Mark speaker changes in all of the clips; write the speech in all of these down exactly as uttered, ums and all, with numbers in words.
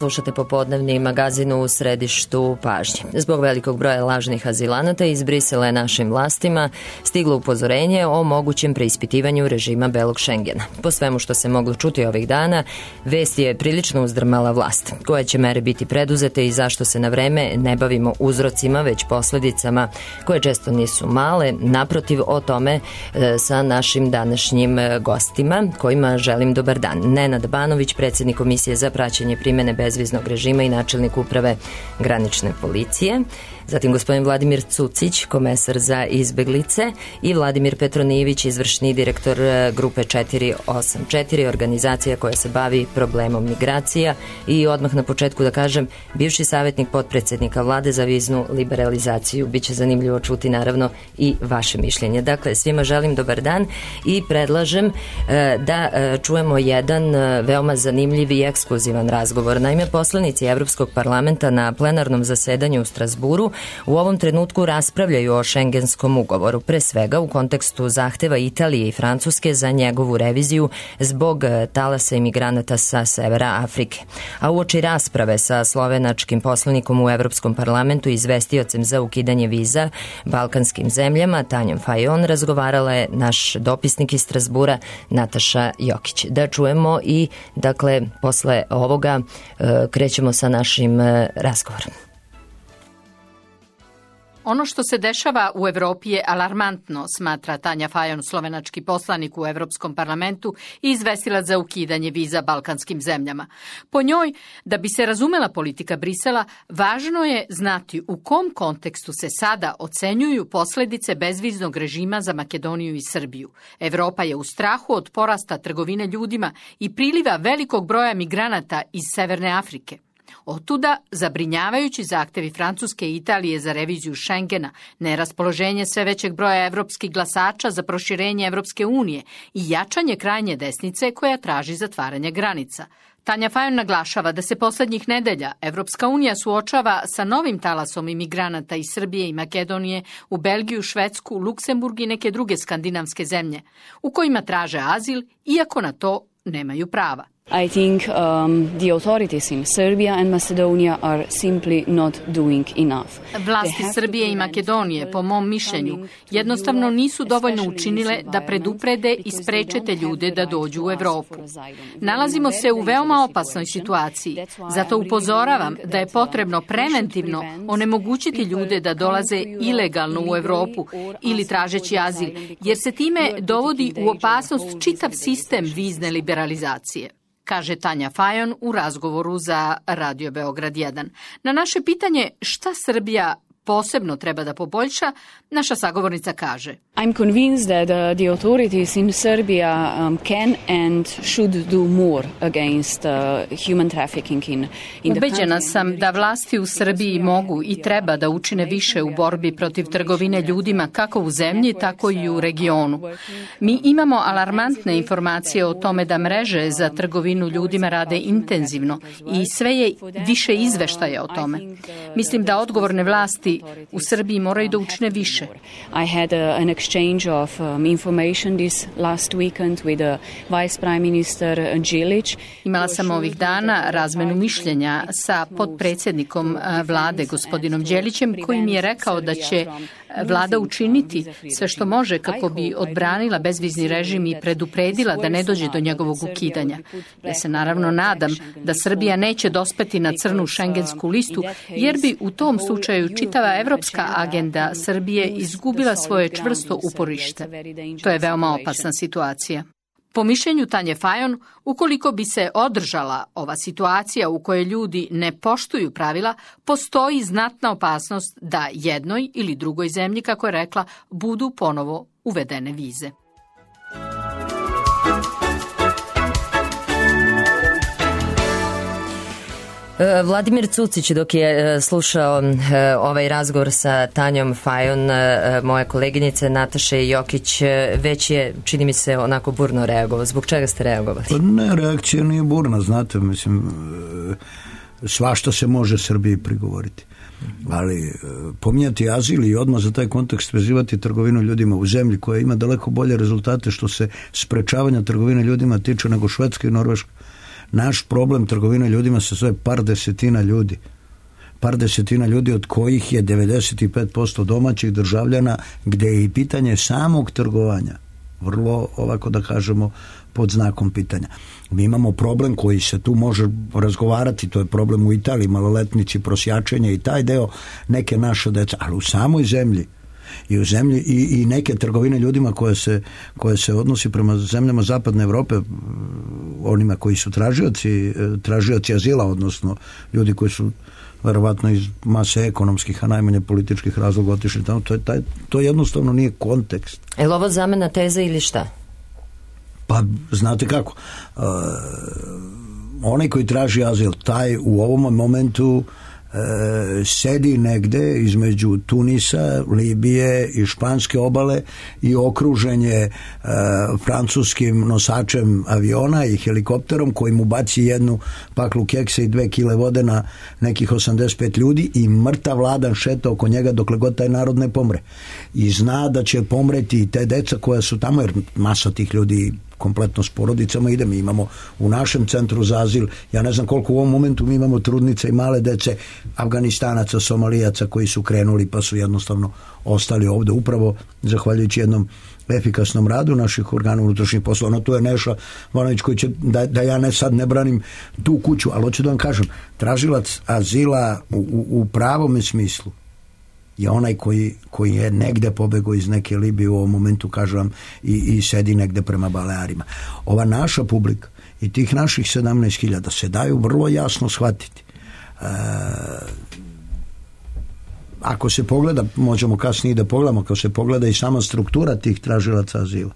Speaker 1: Slušate popodnevni magazin u središtu pažnje. Zbog velikog broja lažnih azilanata iz Brisela je našim vlastima stiglo upozorenje o mogućem preispitivanju režima belog Šengena. Po svemu što se moglo čuti ovih dana, vest je prilično uzdrmala vlast. Koje će mere biti preduzete i zašto se na vreme ne bavimo uzrocima, već posledicama koje često nisu male. Naprotiv, o tome e, sa našim današnjim gostima, kojima želim dobar dan. Nenad Banović, predsjednik Komisije za praćenje primene bez bezviznog režima i načelnik uprave granične policije. Zatim gospodin Vladimir Cucić, komesar za izbeglice, i Vladimir Petronijević, izvršni direktor grupe četiri osam četiri, organizacija koja se bavi problemom migracija. I odmah na početku da kažem, bivši savjetnik potpredsjednika vlade za viznu liberalizaciju. Biće zanimljivo čuti naravno i vaše mišljenje. Dakle, svima želim dobar dan i predlažem da čujemo jedan veoma zanimljiv i ekskluzivan razgovor. Naime, poslanici Evropskog parlamenta na plenarnom zasedanju u Strasburu u ovom trenutku raspravljaju o Šengenskom ugovoru, pre svega u kontekstu zahteva Italije i Francuske za njegovu reviziju zbog talasa imigranata sa severa Afrike. A uoči rasprave sa slovenačkim poslanikom u Evropskom parlamentu i izvestiocem za ukidanje viza balkanskim zemljama, Tanjom Fajon, razgovarala je naš dopisnik iz Strasbura, Nataša Jokić. Da čujemo i, dakle, posle ovoga krećemo sa našim razgovorom.
Speaker 2: Ono što se dešava u Evropi je alarmantno, smatra Tanja Fajon, slovenački poslanik u Evropskom parlamentu i izvestilac za ukidanje viza balkanskim zemljama. Po njoj, da bi se razumela politika Brisela, važno je znati u kom kontekstu se sada ocenjuju posledice bezviznog režima za Makedoniju i Srbiju. Evropa je u strahu od porasta trgovine ljudima i priliva velikog broja migranata iz Severne Afrike. Otuda zabrinjavajući zahtevi Francuske i Italije za reviziju Šengena, neraspoloženje sve većeg broja evropskih glasača za proširenje Evropske unije i jačanje krajnje desnice koja traži zatvaranje granica. Tanja Fajon naglašava da se poslednjih nedelja Evropska unija suočava sa novim talasom imigranata iz Srbije i Makedonije u Belgiju, Švedsku, Luksemburg i neke druge skandinavske zemlje, u kojima traže azil, iako na to nemaju prava.
Speaker 3: I think um, the authorities in Serbia and Macedonia are simply not doing enough.
Speaker 2: Vlasti Srbije i Makedonije, po mom mišljenju, jednostavno nisu dovoljno učinile da preduprede i spreče te ljude da dođu u Evropu. Nalazimo se u veoma opasnoj situaciji, zato upozoravam da je potrebno preventivno onemogućiti ljude da dolaze ilegalno u Evropu ili tražeći azil, jer se time dovodi u opasnost čitav sistem vizne liberalizacije, kaže Tanja Fajon u razgovoru za Radio Beograd jedan. Na naše pitanje šta Srbija posebno treba da poboljša, naša sagovornica kaže:
Speaker 3: I'm convinced that uh, the authorities in Serbia um, can and should do more against uh, human trafficking in, in the country.
Speaker 2: Ubeđena sam da vlasti u Srbiji mogu i treba da učine više u borbi protiv trgovine ljudima kako u zemlji, tako i u regionu. Mi imamo alarmantne informacije o tome da mreže za trgovinu ljudima rade intenzivno i sve je više izveštaja o tome. Mislim da odgovorne vlasti u Srbiji moraju da učine više.
Speaker 3: I had uh, an exchange of um, information this last weekend with uh, Vice Prime Minister Đilić.
Speaker 2: Imala sam ovih dana razmenu mišljenja sa potpredsjednikom vlade gospodinom Đelićem, koji mi je rekao da će vlada učiniti sve što može kako bi odbranila bezvizni režim i predupredila da ne dođe do njegovog ukidanja. Ja se naravno nadam da Srbija neće dospeti na crnu šengensku listu, jer bi u tom slučaju čitava evropska agenda Srbije izgubila svoje čvrsto uporište. To je veoma opasna situacija. Po mišljenju Tanje Fajon, ukoliko bi se održala ova situacija u kojoj ljudi ne poštuju pravila, postoji znatna opasnost da jednoj ili drugoj zemlji, kako je rekla, budu ponovo uvedene vize.
Speaker 1: Vladimir Cucić, dok je slušao ovaj razgovor sa Tanjom Fajon, moja koleginice Nataše Jokić, već je, čini mi se, onako burno reagovao. Zbog čega ste reagovali?
Speaker 4: Pa ne, reakcija nije burna, znate, mislim, svašta se može Srbiji prigovoriti. Ali pominjati azil i odmah za taj kontekst vezivati trgovinu ljudima u zemlji koja ima daleko bolje rezultate što se sprečavanja trgovine ljudima tiče nego Švedska i Norveška. Naš problem trgovine ljudima se zove par desetina ljudi. Par desetina ljudi od kojih je devedeset pet posto domaćih državljana, gde je i pitanje samog trgovanja vrlo, ovako da kažemo, pod znakom pitanja. Mi imamo problem koji se tu može razgovarati, to je problem u Italiji, maloletnici, prosjačenje i taj deo neke naše deca, ali u samoj zemlji i u zemlji i, i neke trgovine ljudima koje se, koje se odnosi prema zemljama zapadne Evrope, onima koji su tražioci, tražioci azila, odnosno ljudi koji su verovatno iz mase ekonomskih, a najmanje političkih razloga otišli tamo, to, je taj, to jednostavno nije kontekst.
Speaker 1: Je li ovo zamena teze ili šta?
Speaker 4: Pa, znate kako, uh, onaj koji traži azil, taj u ovom momentu uh, sedi negde između Tunisa, Libije i Španske obale i okružen je uh, francuskim nosačem aviona i helikopterom koji mu baci jednu paklu keksa i dve kile vode na nekih osamdeset pet ljudi i mrtav vladan šeta oko njega dokle god taj narod ne pomre. I zna da će pomreti te deca koja su tamo, jer masa tih ljudi kompletno s porodicama ide. Mi imamo u našem centru za azil, ja ne znam koliko u ovom momentu mi imamo trudnice i male dece, Afganistanaca, Somalijaca koji su krenuli pa su jednostavno ostali ovde upravo zahvaljujući jednom efikasnom radu naših organa unutrašnjih poslova. No tu je Neša Vanović koji će, da, da ja ne sad ne branim tu kuću, ali hoću da vam kažem, tražilac azila u, u, u pravome smislu je onaj koji, koji je negde pobegao iz neke Libije u ovom momentu, kažem vam, i, i sedi negde prema Balearima. Ova naša publika i tih naših sedamnaest hiljada se daju vrlo jasno shvatiti. E, ako se pogleda, možemo kasnije da pogledamo, ako se pogleda i sama struktura tih tražilaca azila,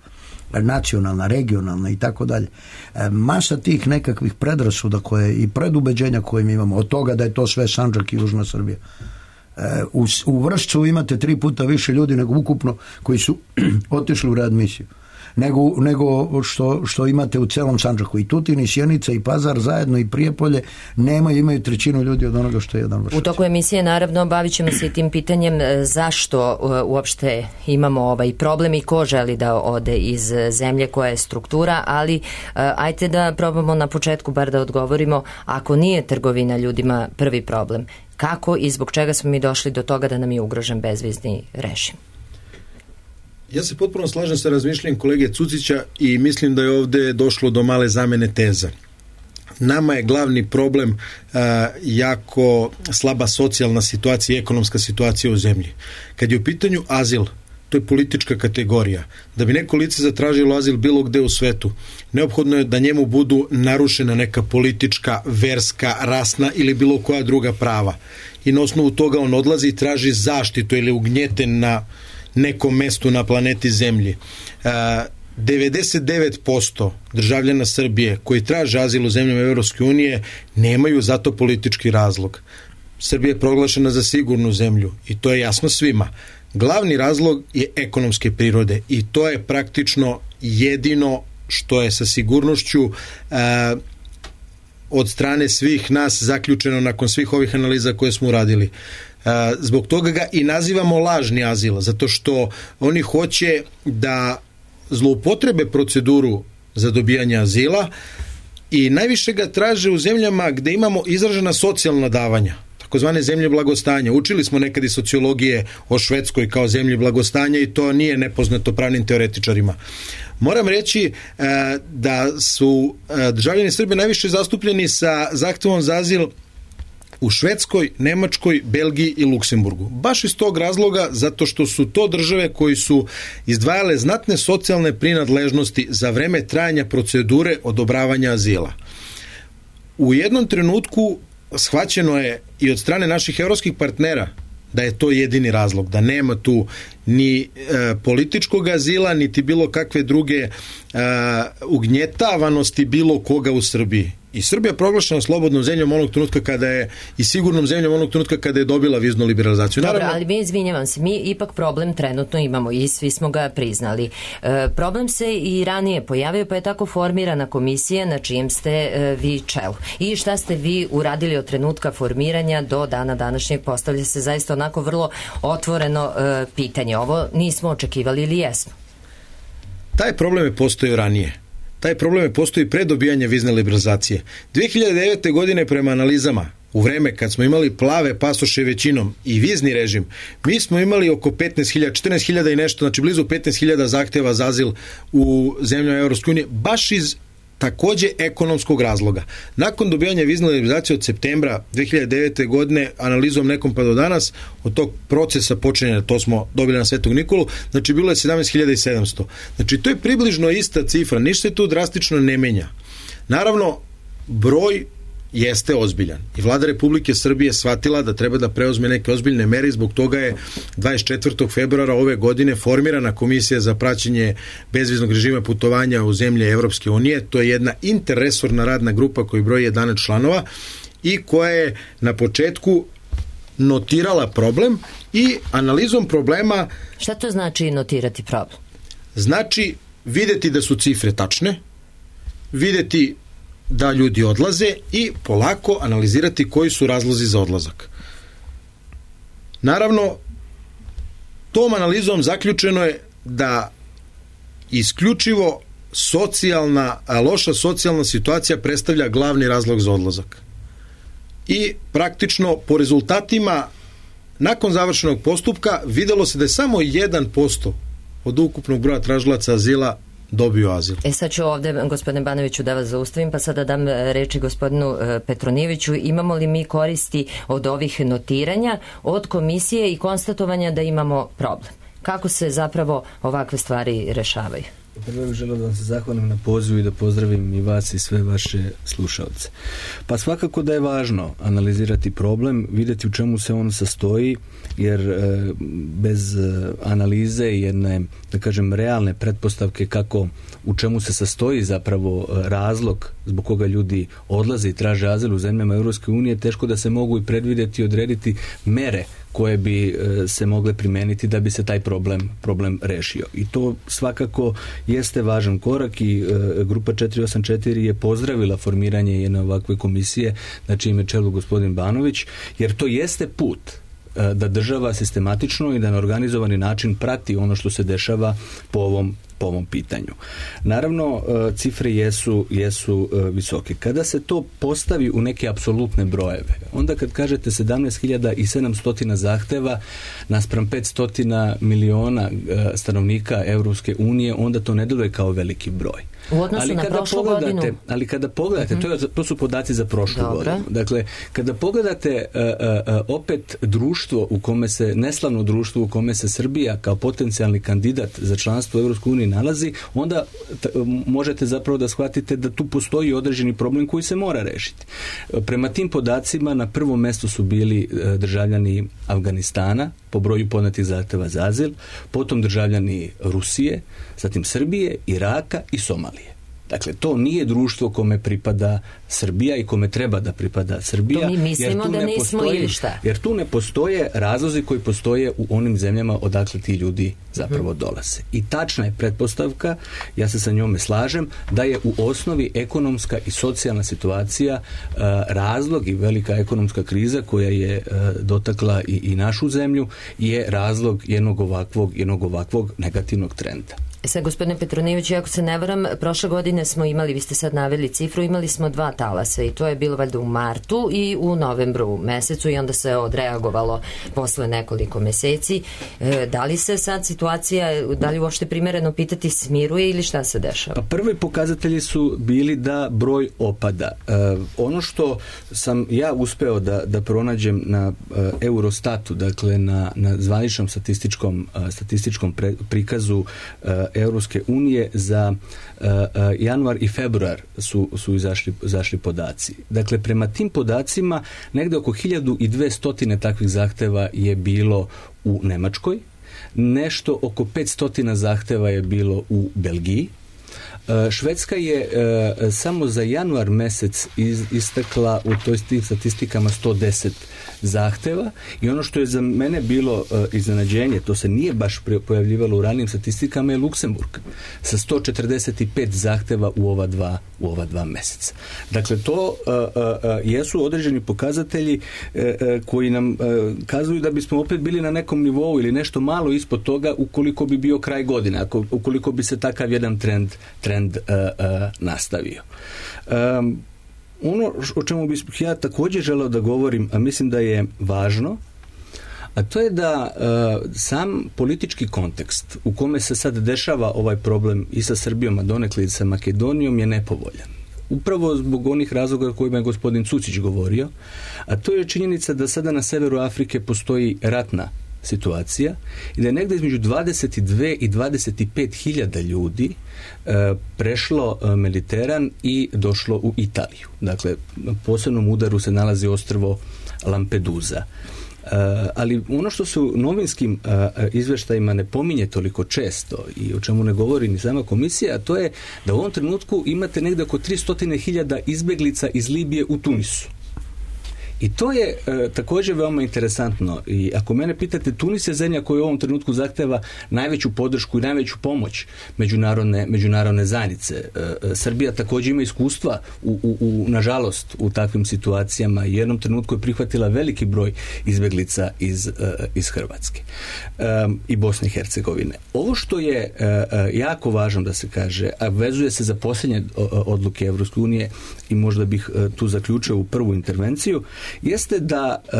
Speaker 4: nacionalna, regionalna i tako dalje. Masa tih nekakvih predrasuda koje i predubeđenja koje mi imamo, od toga da je to sve Sandžak i Južna Srbija. U, u Vršcu imate tri puta više ljudi nego ukupno koji su otišli u readmisiju. Nego, nego što, što imate u celom Sandžaku. I Tutin, i Sjenica, i Pazar zajedno, i Prijepolje nemaju, imaju trećinu ljudi od onoga što je jedan Vršac.
Speaker 1: U toku emisije naravno bavit ćemo se i tim pitanjem zašto uopšte imamo ovaj problem i ko želi da ode iz zemlje, koja je struktura, ali ajte da probamo na početku bar da odgovorimo, ako nije trgovina ljudima prvi problem, kako i zbog čega smo mi došli do toga da nam je ugrožen bezvizni režim?
Speaker 5: Ja se potpuno slažem sa razmišljanjem kolege Cucića i mislim da je ovde došlo do male zamene teza. Nama je glavni problem uh, jako slaba socijalna situacija i ekonomska situacija u zemlji. Kad je u pitanju azil, to je politička kategorija. Da bi neko lice zatražilo azil bilo gde u svetu, neophodno je da njemu budu narušena neka politička, verska, rasna ili bilo koja druga prava. I na osnovu toga on odlazi i traži zaštitu ili ugnjeten na nekom mestu na planeti Zemlji. devedeset devet posto državljana Srbije koji traže azil u zemljama Evropske unije nemaju zato politički razlog. Srbija je proglašena za sigurnu zemlju i to je jasno svima. Glavni razlog je ekonomske prirode i to je praktično jedino što je sa sigurnošću a, od strane svih nas zaključeno nakon svih ovih analiza koje smo uradili. Zbog toga ga i nazivamo lažni azil, zato što oni hoće da zloupotrebe proceduru za dobijanje azila i najviše ga traže u zemljama gde imamo izražena socijalna davanja, takozvane zemlje blagostanja. Učili smo nekad i sociologije o Švedskoj kao zemlji blagostanja i to nije nepoznato pravnim teoretičarima. Moram reći e, da su e, državljani Srbije najviše zastupljeni sa zahtevom za azil u Švedskoj, Nemačkoj, Belgiji i Luksemburgu. Baš iz tog razloga, zato što su to države koji su izdvajale znatne socijalne prinadležnosti za vreme trajanja procedure odobravanja azila. U jednom trenutku shvaćeno je i od strane naših evropskih partnera da je to jedini razlog, da nema tu ni e, političkog azila, niti bilo kakve druge e, ugnjetavanosti bilo koga u Srbiji. I Srbija je proglašena slobodnom zemljom onog trenutka kada je i sigurnom zemljom onog trenutka kada je dobila viznu liberalizaciju.
Speaker 1: Dobro,
Speaker 5: Naravno,
Speaker 1: ali mi, izvinjavam se, mi ipak problem trenutno imamo i svi smo ga priznali. E, problem se i ranije pojavio, pa je tako formirana komisija na čijem ste e, vi čelu. I šta ste vi uradili od trenutka formiranja do dana današnjeg? Postavlja se zaista onako vrlo otvoreno e, pitanje. Ovo nismo očekivali ili jesmo?
Speaker 5: taj problem je postojao ranije. taj problem je postoji pre dobijanja vizne liberalizacije. dve hiljade devete. godine prema analizama, u vreme kad smo imali plave pasoše većinom i vizni režim, mi smo imali oko petnaest hiljada, četrnaest hiljada i nešto, znači blizu petnaest hiljada zahteva za azil u zemljama Evropske unije, baš iz takođe ekonomskog razloga. Nakon dobijanja vizne liberalizacije od septembra dve hiljade devete. godine, analizom nekom pa do danas, od tog procesa počinjenja, to smo dobili na Svetog Nikolu, znači bilo je sedamnaest hiljada i sedamsto. Znači to je približno ista cifra, ništa se tu drastično ne menja. Naravno, broj jeste ozbiljan i vlada Republike Srbije shvatila da treba da preuzme neke ozbiljne mere i zbog toga je dvadeset četvrtog februara ove godine formirana komisija za praćenje bezviznog režima putovanja u zemlje Evropske unije. To je jedna interresorna radna grupa koja broji jedanaest članova i koja je na početku notirala problem i analizom problema...
Speaker 1: Šta to znači notirati problem?
Speaker 5: Znači videti da su cifre tačne, videti da ljudi odlaze i polako analizirati koji su razlozi za odlazak. Naravno, tom analizom zaključeno je da isključivo socijalna, loša socijalna situacija predstavlja glavni razlog za odlazak. I praktično po rezultatima nakon završenog postupka videlo se da je samo jedan posto od ukupnog broja tražilaca azila dobio azil.
Speaker 1: E sad ću ovde, gospodine Banoviću, da vas zaustavim, pa sada dam reči gospodinu Petronijeviću. Imamo li mi koristi od ovih notiranja, od komisije i konstatovanja da imamo problem? Kako se zapravo ovakve stvari rešavaju?
Speaker 6: Prvo bih želeo da vam se zahvalim na pozivu i da pozdravim i vas i sve vaše slušalce. Pa svakako da je važno analizirati problem, vidjeti u čemu se on sastoji, jer e, bez e, analize i jedne, da kažem, realne pretpostavke kako u čemu se sastoji zapravo razlog zbog koga ljudi odlaze i traže azil u zemljama Europske unije, teško da se mogu i predvidjeti i odrediti mere koje bi e, se mogle primeniti da bi se taj problem, problem rešio. I to svakako jeste važan korak i e, grupa četiri osam četiri je pozdravila formiranje jedne ovakve komisije na čijem je čelu gospodin Banović, jer to jeste put e, da država sistematično i da na organizovani način prati ono što se dešava po ovom po ovom pitanju. Naravno, cifre jesu, jesu visoke. Kada se to postavi u neke apsolutne brojeve, onda kad kažete sedamnaest hiljada i sedamsto zahteva naspram petsto miliona stanovnika Evropske unije, onda to ne deluje kao veliki broj.
Speaker 1: U odnosu ali na prošlu godinu.
Speaker 6: Ali kada pogledate, mm-hmm. to, je, to su podaci za prošlu Dobre. godinu. Dakle, kada pogledate uh, uh, opet društvo u kome se, neslavno društvo u kome se Srbija kao potencijalni kandidat za članstvo u Evropskoj uniji nalazi, onda t- možete zapravo da shvatite da tu postoji određeni problem koji se mora rešiti. Prema tim podacima na prvom mestu su bili uh, državljani Afganistana po broju podnetih zahteva za azil, potom državljani Rusije, zatim Srbije, Iraka i Somalije. Dakle, to nije društvo kome pripada Srbija i kome treba da pripada Srbija.
Speaker 1: To mi mislimo da nismo
Speaker 6: postoji,
Speaker 1: ili šta?
Speaker 6: Jer tu ne postoje razlozi koji postoje u onim zemljama odakle ti ljudi zapravo hmm. dolaze. I tačna je pretpostavka, ja se sa njome slažem, da je u osnovi ekonomska i socijalna situacija uh, razlog i velika ekonomska kriza koja je uh, dotakla i, i našu zemlju je razlog jednog ovakvog, jednog ovakvog negativnog trenda.
Speaker 1: Sad, gospodine Petronijević, ako se ne varam, prošle godine smo imali, vi ste sad naveli cifru, imali smo dva talasa i to je bilo valjda u martu i u novembru mesecu i onda se odreagovalo posle nekoliko meseci. E, da li se sad situacija, da li uopšte primereno pitati, smiruje ili šta se dešava?
Speaker 6: Pa prvi pokazatelji su bili da broj opada. E, ono što sam ja uspeo da, da pronađem na e, Eurostatu, dakle na, na zvaničnom statističkom, e, statističkom pre, prikazu e, Europske unije za uh, uh, januar i februar su, su izašli, izašli podaci. Dakle, prema tim podacima negde oko hiljadu dvesta takvih zahteva je bilo u Nemačkoj, nešto oko petsto zahteva je bilo u Belgiji. Švedska je uh, samo za januar mesec iz, istakla u toj tim statistikama sto deset zahteva i ono što je za mene bilo uh, iznenađenje, to se nije baš pojavljivalo u ranijim statistikama, je Luksemburg sa sto četrdeset pet zahteva u ova dva, u ova dva meseca. Dakle, to uh, uh, jesu određeni pokazatelji uh, uh, koji nam uh, kazuju da bismo opet bili na nekom nivou ili nešto malo ispod toga ukoliko bi bio kraj godine, ako, ukoliko bi se takav jedan trend, trend trend uh, uh, nastavio. Um, ono o čemu bih ja također želeo da govorim, a mislim da je važno, a to je da uh, sam politički kontekst u kome se sad dešava ovaj problem i sa Srbijom, a donekle i sa Makedonijom je nepovoljan. Upravo zbog onih razloga o kojima je gospodin Cucić govorio, a to je činjenica da sada na severu Afrike postoji ratna situacija i da je negdje između dvadeset dve i dvadeset pet hiljada ljudi e, prešlo e, Mediteran i došlo u Italiju. Dakle, na posebnom udaru se nalazi ostrvo Lampedusa. Uh, ali ono što se u novinskim uh, izveštajima ne pominje toliko često i o čemu ne govori ni sama komisija, a to je da u ovom trenutku imate negdje oko tristo hiljada izbjeglica iz Libije u Tunisu. I to je e, također veoma interesantno. I ako mene pitate, Tunis je zemlja koja u ovom trenutku zahteva najveću podršku i najveću pomoć međunarodne, međunarodne zajednice. E, e, Srbija također ima iskustva u, u, u, nažalost u takvim situacijama i u jednom trenutku je prihvatila veliki broj izbjeglica iz, e, iz Hrvatske e, i Bosne i Hercegovine. Ovo što je e, e, jako važno da se kaže, a vezuje se za posljednje odluke Evropske unije i možda bih e, tu zaključio u prvu intervenciju, jeste da uh,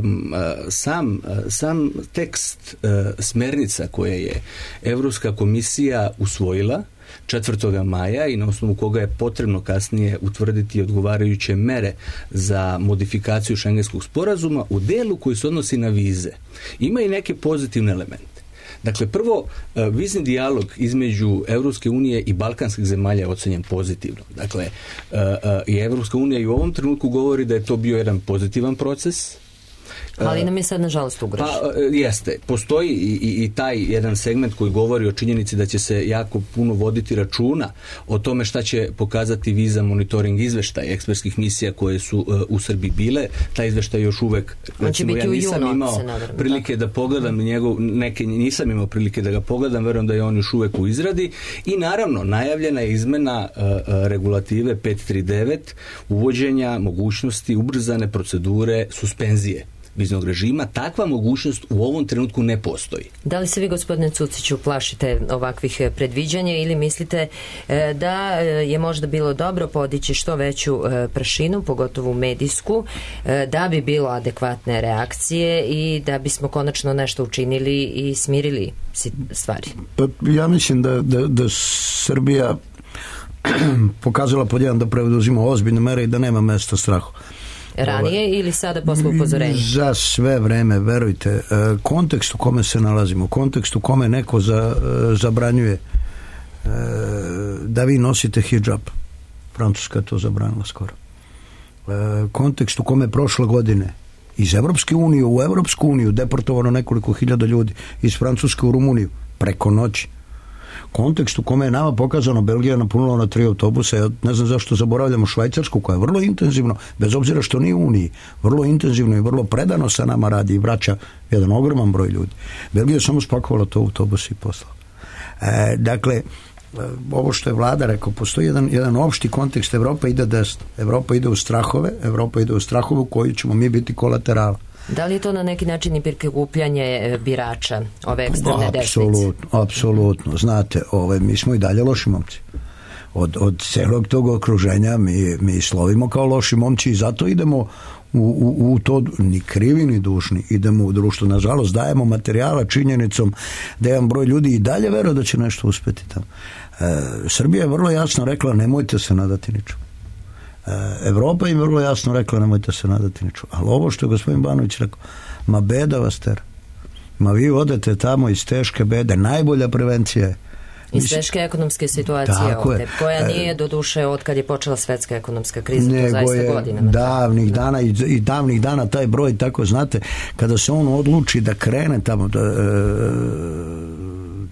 Speaker 6: um, sam, uh, sam tekst uh, smernica koje je Europska komisija usvojila četvrtog maja i na osnovu koga je potrebno kasnije utvrditi odgovarajuće mere za modifikaciju Šengenskog sporazuma u delu koji se odnosi na vize, ima i neke pozitivne elemente. Dakle, prvo, vizni dijalog između Evropske unije i balkanskih zemalja je ocenjen pozitivno. Dakle, i Evropska unija i u ovom trenutku govori da je to bio jedan pozitivan proces.
Speaker 1: Ali nam je sad nažalost ugrožen.
Speaker 6: Pa, jeste. Postoji i, i, i taj jedan segment koji govori o činjenici da će se jako puno voditi računa o tome šta će pokazati viza monitoring izveštaj ekspertskih misija koje su uh, u Srbiji bile. Taj izveštaj još uvek, recimo, ja nisam junu, imao nadam, prilike da, da pogledam njegov, neke nisam imao prilike da ga pogledam, verujem da je on još uvek u izradi i naravno najavljena je izmena uh, regulative petsto trideset devet, uvođenja mogućnosti ubrzane procedure suspenzije viznog režima. Takva mogućnost u ovom trenutku ne postoji.
Speaker 1: Da li se vi, gospodine Cuciću, plašite ovakvih predviđanja ili mislite da je možda bilo dobro podići što veću prašinu, pogotovo medijsku, da bi bilo adekvatne reakcije i da bismo konačno nešto učinili i smirili stvari?
Speaker 4: Pa, ja mislim da, da, da Srbija pokazala pod jedan da preuzima ozbiljne mere i da nema mesta strahu.
Speaker 1: Ranije ili sada posle upozorenja?
Speaker 4: Za sve vreme, verujte, kontekst u kome se nalazimo, kontekst u kome neko za, zabranjuje da vi nosite hidžab, Francuska je to zabranila skoro, kontekst u kome prošle godine iz Evropske unije u Evropsku uniju deportovano nekoliko hiljada ljudi, iz Francuske u Rumuniju preko noći, kontekst u kome je nama pokazano Belgija napunila na tri autobusa, ja ne znam zašto zaboravljamo Švajcarsku koja je vrlo intenzivno, bez obzira što nije u Uniji, vrlo intenzivno i vrlo predano sa nama radi i vraća jedan ogroman broj ljudi. Belgija je samo spakovala to autobus i poslala. E, dakle, ovo što je vlada rekao, postoji jedan, jedan opšti kontekst, Evropa ide desno, Evropa ide u strahove, Evropa ide u strahove u koji ćemo mi biti kolaterala.
Speaker 1: Da li je to na neki način i prikupljanje birača ove ekstremne desnice?
Speaker 4: Apsolutno, apsolutno. Znate, ove, mi smo i dalje loši momci. Od, od celog tog okruženja mi, mi slovimo kao loši momci i zato idemo u, u, u to, ni krivi ni dušni, idemo u društvo. Nažalost, dajemo materijala činjenicom da jedan broj ljudi i dalje veruje da će nešto uspeti tamo. E, Srbija je vrlo jasno rekla, nemojte se nadati ničemu. Evropa im vrlo jasno rekla, nemojte se nadati ničemu. Ali ovo što je gospodin Banović rekao, ma beda vas ter. Ma vi odete tamo iz teške bede. Najbolja prevencija je
Speaker 1: iz teške ekonomske situacije ovdje, koja nije do duše od kad je počela svetska ekonomska kriza, to zaista godinama.
Speaker 4: Davnih dana i, i davnih dana taj broj, tako znate, kada se on odluči da krene tamo, da, e,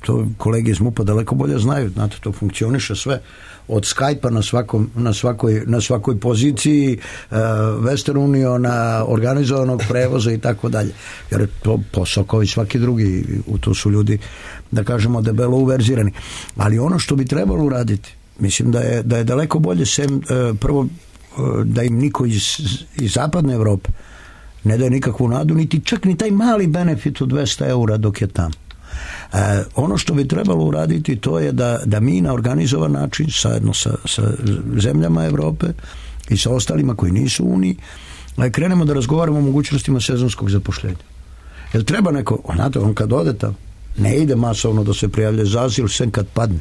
Speaker 4: to kolege iz MUP-a daleko bolje znaju, znate, to funkcioniše sve od Skype-a na, svakom, na, svakoj, na svakoj poziciji, uh, Western Uniona, organizovanog prevoza i tako dalje. Jer je to posao kao i svaki drugi, u to su ljudi, da kažemo, debelo uverzirani. Ali ono što bi trebalo uraditi, mislim da je, da je daleko bolje sem, uh, prvo, uh, da im niko iz, iz zapadne Evrope ne daje nikakvu nadu, niti čak ni taj mali benefit od dvesta eura dok je tamo. E, ono što bi trebalo uraditi to je da, da mi na organizovan način zajedno sa, sa zemljama Evrope i sa ostalima koji nisu u Uniji krenemo da razgovaramo o mogućnostima sezonskog zapošljenja. Jer treba neko, onate, on kad ode tamo, ne ide masovno da se prijavlja za azil sem kad padne.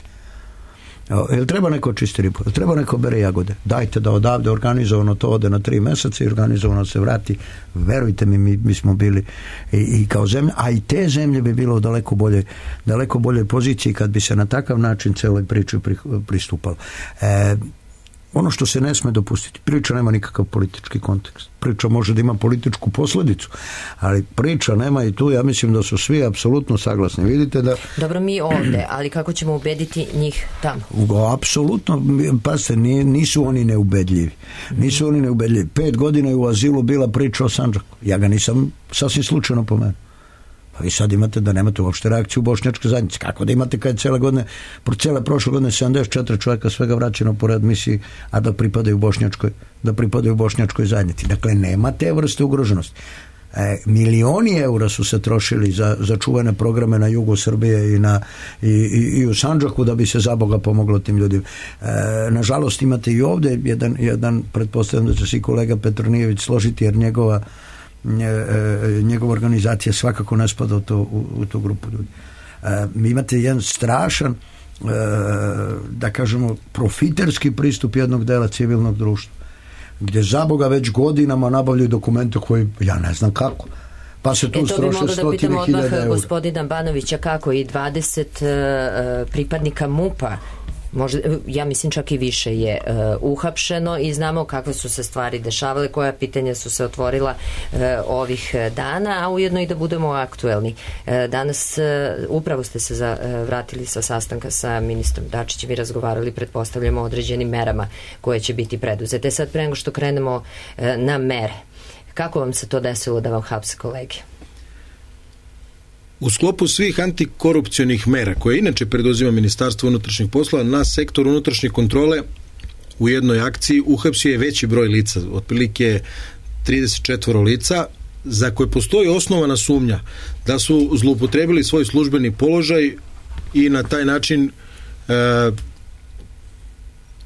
Speaker 4: Jel treba neko čisti ribu, jel treba neko bere jagode, dajte da odavde organizovano to ode na tri meseca i organizovano se vrati, verujte mi, mi, mi smo bili i, i kao zemlja, a i te zemlje bi bilo u daleko bolje, daleko bolje poziciji kad bi se na takav način celoj priči pri, pristupalo. E, ono što se ne sme dopustiti, priča nema nikakav politički kontekst, priča može da ima političku posljedicu, ali priča nema i tu, ja mislim da su svi apsolutno saglasni. Vidite da...
Speaker 1: Dobro, mi ovde, ali kako ćemo ubediti njih tamo?
Speaker 4: Apsolutno, pazite, nisu oni neubedljivi. Nisu oni neubedljivi. Pet godina je u azilu bila priča o Sandžaku. Ja ga nisam sasvim slučajno pomenuo. Pa vi sad imate da nemate uopšte reakciju u bošnjačke zajednice. Kako da imate kad je cijele godine, cijele prošle godine sedamdeset četiri čovjeka svega vraćeno po readmisiji, a da pripadaju bošnjačkoj, da pripadaju bošnjačkoj zajednici. Dakle, nema te vrste ugroženosti. E, milioni eura su se trošili za, za čuvene programe na jugu Srbije i, na, i, i, i u Sandžaku da bi se za Boga pomoglo tim ljudima. E, nažalost, imate i ovdje jedan, jedan pretpostavljam da će se i kolega Petronijević složiti, jer njegova njegova organizacija svakako ne spada u, to, u, u tu grupu ljudi. E, mi imate jedan strašan e, da kažemo profiterski pristup jednog dela civilnog društva, gdje za Boga već godinama nabavljaju dokumente koji ja ne znam kako. Pa se tu
Speaker 1: e, to bi moglo da pitamo odmah gospodina Banovića kako i dvadeset uh, pripadnika MUP-a, možda, ja mislim čak i više je uh, uhapšeno i znamo kakve su se stvari dešavale, koja pitanja su se otvorila uh, ovih dana, a ujedno i da budemo aktuelni. Uh, danas uh, upravo ste se za, uh, vratili sa sastanka sa ministrom Dačićem i razgovarali, pretpostavljamo, o određenim merama koje će biti preduzete. Sad pre nego što krenemo uh, na mere, kako vam se to desilo da vam hapse kolege?
Speaker 5: U sklopu svih antikorupcionih mera koje inače preduzima Ministarstvo unutrašnjih poslova, na sektor unutrašnje kontrole u jednoj akciji uhapsio je veći broj lica, otprilike trideset četiri lica, za koje postoji osnovana sumnja da su zloupotrebili svoj službeni položaj i na taj način e,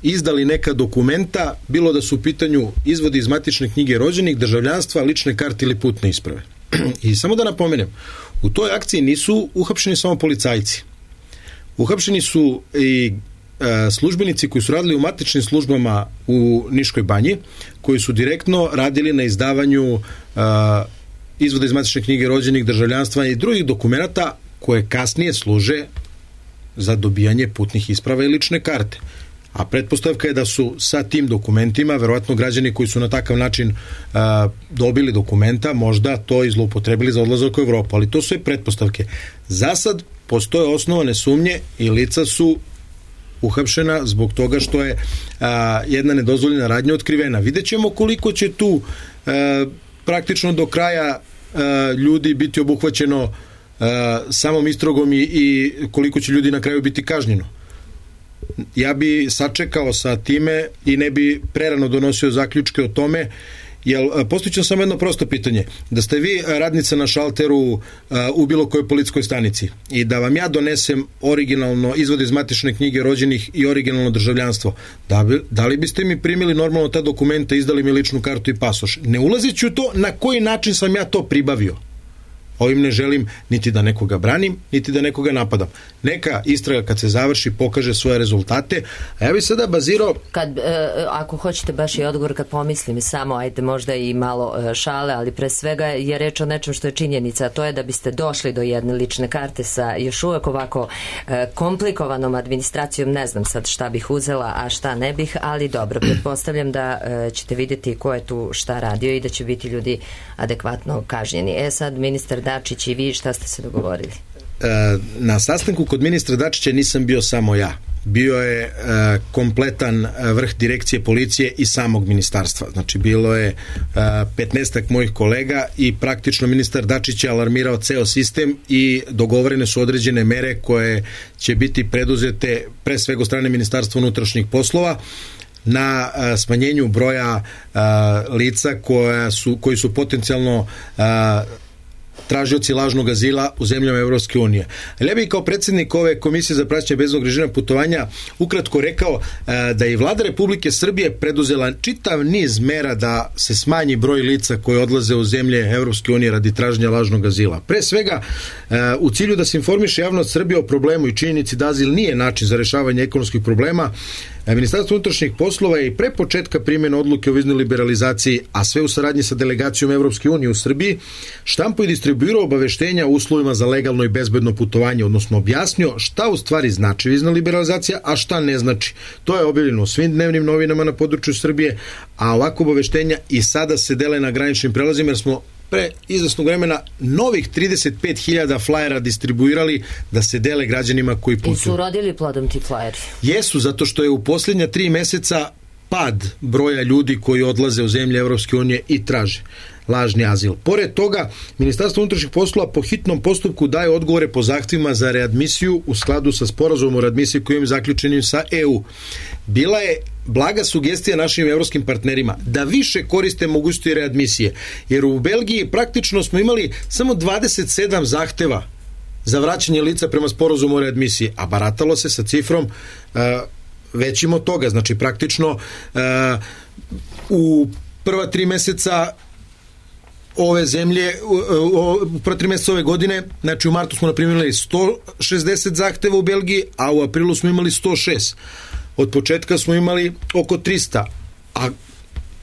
Speaker 5: izdali neka dokumenta, bilo da su u pitanju izvodi iz matične knjige rođenih, državljanstva, lične karte ili putne isprave. I samo da napomenem, u toj akciji nisu uhapšeni samo policajci. Uhapšeni su i e, službenici koji su radili u matičnim službama u Niškoj banji, koji su direktno radili na izdavanju e, izvoda iz matične knjige rođenih, državljanstva i drugih dokumenata koje kasnije služe za dobijanje putnih isprava i lične karte. A pretpostavka je da su sa tim dokumentima, verovatno građani koji su na takav način a, dobili dokumenta, možda to i zloupotrebili za odlazak u Evropu, ali to su i pretpostavke. Za sad postoje osnovane sumnje i lica su uhapšena zbog toga što je a, jedna nedozvoljena radnja otkrivena. Vidjet ćemo koliko će tu a, praktično do kraja a, ljudi biti obuhvaćeno a, samom istragom i, i koliko će ljudi na kraju biti kažnjeno. Ja bi sačekao sa time i ne bi prerano donosio zaključke o tome, jer postojiće samo jedno prosto pitanje. Da ste vi radnica na šalteru uh, u bilo kojoj policijskoj stanici i da vam ja donesem originalno izvod iz matične knjige rođenih i originalno državljanstvo, da, bi, da li biste mi primili normalno ta dokumenta, izdali mi ličnu kartu i pasoš? Ne ulazeći u to na koji način sam ja to pribavio. Ovim ne želim niti da nekoga branim, niti da nekoga napadam. Neka istraga kad se završi pokaže svoje rezultate, a ja bih sada bazirao...
Speaker 1: Kad, e, ako hoćete baš i odgovor, kad pomislim samo, ajde možda i malo e, šale, ali pre svega je reč o nečem što je činjenica, a to je da biste došli do jedne lične karte sa još uvek ovako e, komplikovanom administracijom, ne znam sad šta bih uzela, a šta ne bih, ali dobro, pretpostavljam da e, ćete vidjeti ko je tu šta radio i da će biti ljudi adekvatno kažnjeni. E sad, ministar Dačić i vi, šta ste se dogovorili?
Speaker 5: Na sastanku kod ministra Dačića nisam bio samo ja. Bio je kompletan vrh direkcije policije i samog ministarstva. Znači, bilo je petnaestak mojih kolega i praktično ministar Dačić je alarmirao ceo sistem i dogovorene su određene mere koje će biti preduzete pre svega od strane Ministarstva unutrašnjih poslova na a, smanjenju broja a, lica koja su, koji su potencijalno a, tražioci lažnog azila u zemljama Evropske unije. Ali ja bih kao predsjednik ove komisije za praćenje bezbednog režima putovanja ukratko rekao da je vlada Republike Srbije preduzela čitav niz mera da se smanji broj lica koji odlaze u zemlje Evropske unije radi traženja lažnog azila. Pre svega, u cilju da se informiše javnost Srbije o problemu i činjenici da azil nije način za rešavanje ekonomskih problema, Ministarstvo unutrašnjih poslova je i pre početka primjene odluke o viznoj liberalizaciji, a sve u saradnji sa delegacijom Evropske unije u Srbiji, štampo i distribuirao obaveštenja o uslovima za legalno i bezbedno putovanje, odnosno objasnio šta u stvari znači vizna liberalizacija, a šta ne znači. To je objavljeno u svim dnevnim novinama na području Srbije, a ovako obaveštenja i sada se dele na graničnim prelazima, jer smo pre izvesnog vremena novih trideset pet hiljada flajera distribuirali da se dele građanima koji putuju.
Speaker 1: I su rodili plodom ti flajeri?
Speaker 5: Jesu, zato što je u posljednja tri meseca pad broja ljudi koji odlaze u zemlje Evropske unije i traže lažni azil. Pored toga, Ministarstvo unutrašnjih poslova po hitnom postupku daje odgovore po zahtjevima za readmisiju u skladu sa sporazumom o readmisiji kojim je zaključenim sa E U. Bila je blaga sugestija našim evropskim partnerima da više koriste mogućnosti readmisije, jer u Belgiji praktično smo imali samo dvadeset sedam zahteva za vraćanje lica prema sporazumu o readmisiji, a baratalo se sa cifrom uh, većim od toga. Znači praktično uh, u prva tri meseca ove zemlje, u prva tri mjeseca ove godine, znači u martu smo naprimili sto šezdeset zahteva u Belgiji, a u aprilu smo imali sto šest. Od početka smo imali oko trista, a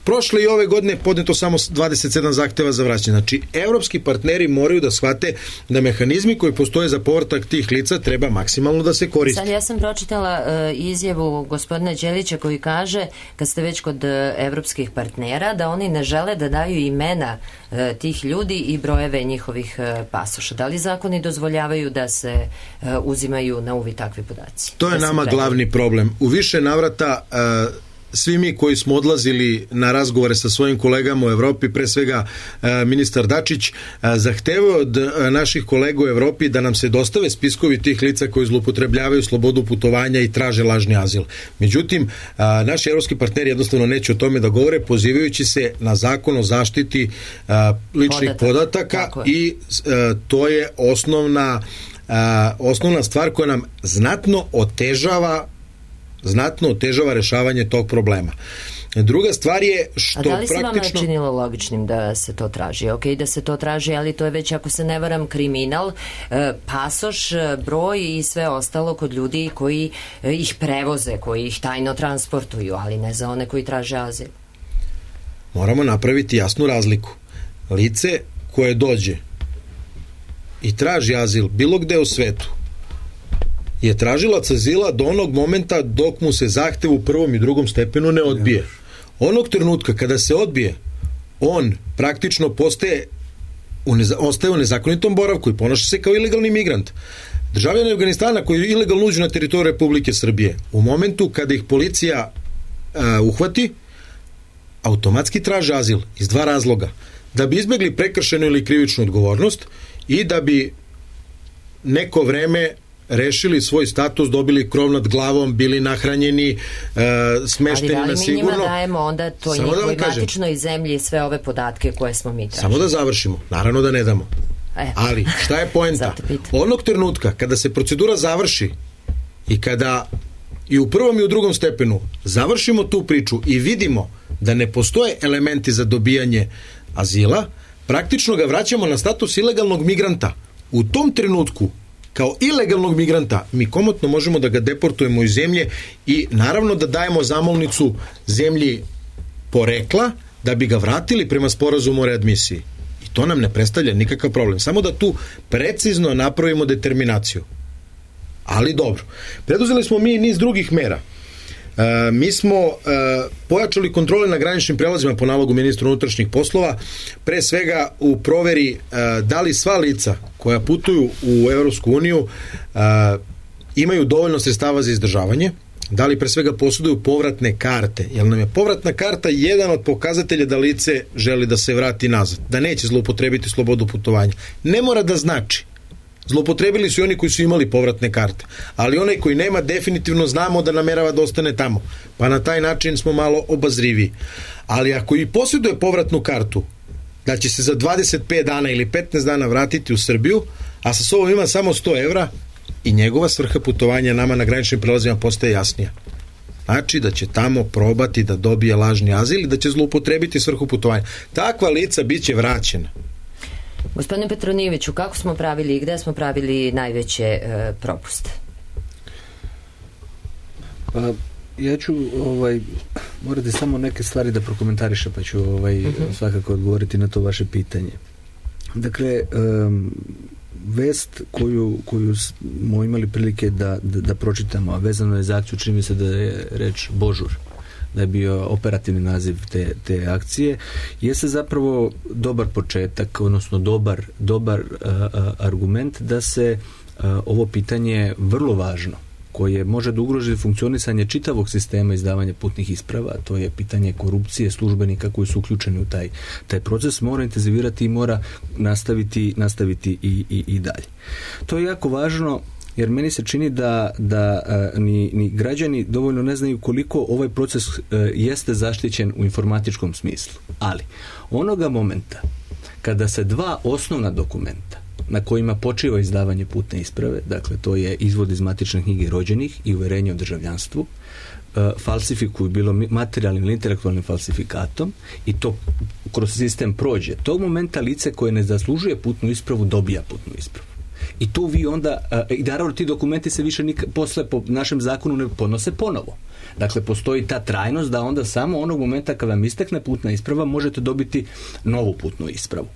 Speaker 5: prošle i ove godine podneto samo dvadeset sedam zahteva za vraćanje. Znači, evropski partneri moraju da shvate da mehanizmi koji postoje za povratak tih lica treba maksimalno da se koriste.
Speaker 1: Sad ja sam pročitala uh, izjavu gospodina Đelića koji kaže, kad ste već kod uh, evropskih partnera, da oni ne žele da daju imena uh, tih ljudi i brojeve njihovih uh, pasoša. Da li zakoni dozvoljavaju da se uh, uzimaju na uvid takvi podaci?
Speaker 5: To je
Speaker 1: da
Speaker 5: nama glavni problem. U više navrata uh, svi mi koji smo odlazili na razgovore sa svojim kolegama u Evropi, pre svega e, ministar Dačić, e, zahtevao od e, naših kolega u Evropi da nam se dostave spiskovi tih lica koji zloupotrebljavaju slobodu putovanja i traže lažni azil. Međutim, e, naši evropski partneri jednostavno neće o tome da govore, pozivajući se na zakon o zaštiti e, ličnih
Speaker 1: Podatak.
Speaker 5: podataka i e, to je osnovna, e, osnovna stvar koja nam znatno otežava znatno otežava rešavanje tog problema. Druga stvar je što praktično... A da li se
Speaker 1: praktično... vama činilo logičnim da se to traži? Ok, da se to traži, ali to je već, ako se ne varam, kriminal, pasoš, broj i sve ostalo kod ljudi koji ih prevoze, koji ih tajno transportuju, ali ne za one koji traže azil.
Speaker 5: Moramo napraviti jasnu razliku. Lice koje dođe i traži azil bilo gde u svetu je tražilac azila do onog momenta dok mu se zahtev u prvom i drugom stepenu ne odbije. Onog trenutka kada se odbije, on praktično postaje u neza, ostaje u nezakonitom boravku i ponaša se kao ilegalni migrant. Državljani Afganistana koji ilegalno uđu na teritoriju Republike Srbije, u momentu kada ih policija uh, uhvati, automatski traže azil iz dva razloga. Da bi izbjegli prekršenu ili krivičnu odgovornost i da bi neko vreme rešili svoj status, dobili krov nad glavom, bili nahranjeni, uh, smešteni na sigurno.
Speaker 1: Ali da li mi njima dajemo onda to njihovoj matičnoj zemlji sve ove podatke koje smo mi tražili?
Speaker 5: Samo da završimo. Naravno da ne damo. E. Ali šta je poenta? Onog trenutka kada se procedura završi i kada i u prvom i u drugom stepenu završimo tu priču i vidimo da ne postoje elementi za dobijanje azila, praktično ga vraćamo na status ilegalnog migranta. U tom trenutku kao ilegalnog migranta mi komotno možemo da ga deportujemo iz zemlje i naravno da dajemo zamolnicu zemlji porekla da bi ga vratili prema sporazumu o readmisiji. I to nam ne predstavlja nikakav problem. Samo da tu precizno napravimo determinaciju. Ali dobro. Preduzeli smo mi niz drugih mera. Uh, mi smo uh, pojačali kontrole na graničnim prelazima po nalogu ministra unutrašnjih poslova, pre svega u proveri uh, da li sva lica koja putuju u Evropsku uniju uh, imaju dovoljno sredstava za izdržavanje, da li pre svega posjeduju povratne karte, jer nam je povratna karta jedan od pokazatelja da lice želi da se vrati nazad, da neće zloupotrebiti slobodu putovanja. Ne mora da znači. Zloupotrebili su i oni koji su imali povratne karte, ali onaj koji nema definitivno znamo da namerava da ostane tamo, pa na taj način smo malo obazriviji. Ali ako i posjeduje povratnu kartu, da će se za dvadeset pet dana ili petnaest dana vratiti u Srbiju, a sa sobom ima samo sto evra i njegova svrha putovanja nama na graničnim prelazima postaje jasnija. Znači da će tamo probati da dobije lažni azil i da će zloupotrebiti svrhu putovanja. Takva lica bit će vraćena.
Speaker 1: Gospodine Petronijeviću, kako smo pravili i gde smo pravili najveće e, propuste?
Speaker 6: Pa, ja ću ovaj, morate samo neke stvari da prokomentarišem, pa ću ovaj, uh-huh. svakako odgovoriti na to vaše pitanje. Dakle, um, vest koju, koju smo imali prilike da, da, da pročitamo, a vezano je za akciju, čini mi se da je reč Božur, da je bio operativni naziv te, te akcije, jeste zapravo dobar početak, odnosno dobar, dobar a, a, argument da se a, ovo pitanje vrlo važno, koje može da ugroži funkcionisanje čitavog sistema izdavanja putnih isprava, a to je pitanje korupcije službenika koji su uključeni u taj, taj proces, mora intenzivirati i mora nastaviti, nastaviti i, i, i dalje. To je jako važno, jer meni se čini da, da a, ni, ni građani dovoljno ne znaju koliko ovaj proces a, jeste zaštićen u informatičkom smislu. Ali, onoga momenta kada se dva osnovna dokumenta na kojima počiva izdavanje putne isprave, dakle to je izvod iz matične knjige rođenih i uverenje o državljanstvu, e, falsifikuju bilo materijalnim ili intelektualnim falsifikatom i to kroz sistem prođe. Tog momenta lice koje ne zaslužuje putnu ispravu dobija putnu ispravu. I tu vi onda, i naravno ti dokumenti se više nik, posle po našem zakonu ne podnose ponovo. Dakle, postoji ta trajnost da onda samo onog momenta kada vam istekne putna isprava možete dobiti novu putnu ispravu.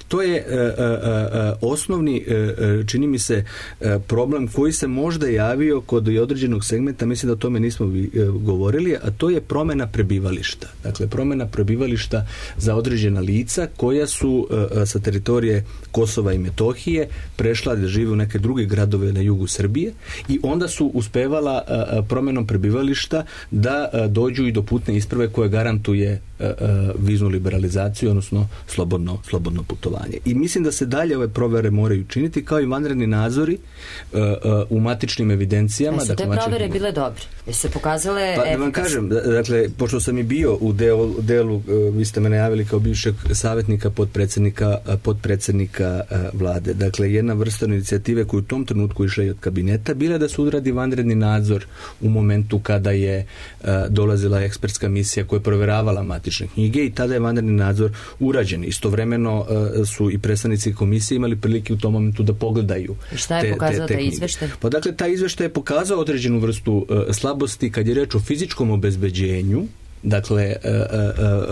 Speaker 6: To je e, e, e, osnovni, e, čini mi se, e, problem koji se možda javio kod određenog segmenta, mislim da o tome nismo vi, e, govorili, a to je promjena prebivališta. Dakle, promjena prebivališta za određena lica koja su e, sa teritorije Kosova i Metohije prešla da žive u neke druge gradove na jugu Srbije i onda su uspevala e, promjenom prebivališta da a, dođu i do putne isprave koja garantuje a, a, viznu liberalizaciju, odnosno slobodno, slobodno putovanje. I mislim da se dalje ove provere moraju činiti kao i vanredni nadzori a, a, u matičnim evidencijama.
Speaker 1: Jesu te provere bile dobre? Jesu se pokazale
Speaker 6: pa, da vam kažem, dakle, pošto sam i bio u delu, delu vi ste me najavili kao bivšeg savjetnika podpredsjednika, podpredsjednika vlade. Dakle, jedna vrsta inicijative koja u tom trenutku išla i od kabineta bila da se odradi vanredni nadzor u momentu kada je uh, dolazila ekspertska misija koja je provjeravala matične knjige i tada je vanredni nadzor urađen. Istovremeno uh, su i predstavnici komisije imali prilike u tom momentu da pogledaju.
Speaker 1: I šta je
Speaker 6: te,
Speaker 1: pokazao
Speaker 6: te, te
Speaker 1: taj izveštaj?
Speaker 6: Pa dakle, taj izveštaj je pokazao određenu vrstu uh, slabosti kad je reč o fizičkom obezbeđenju. Dakle, uh,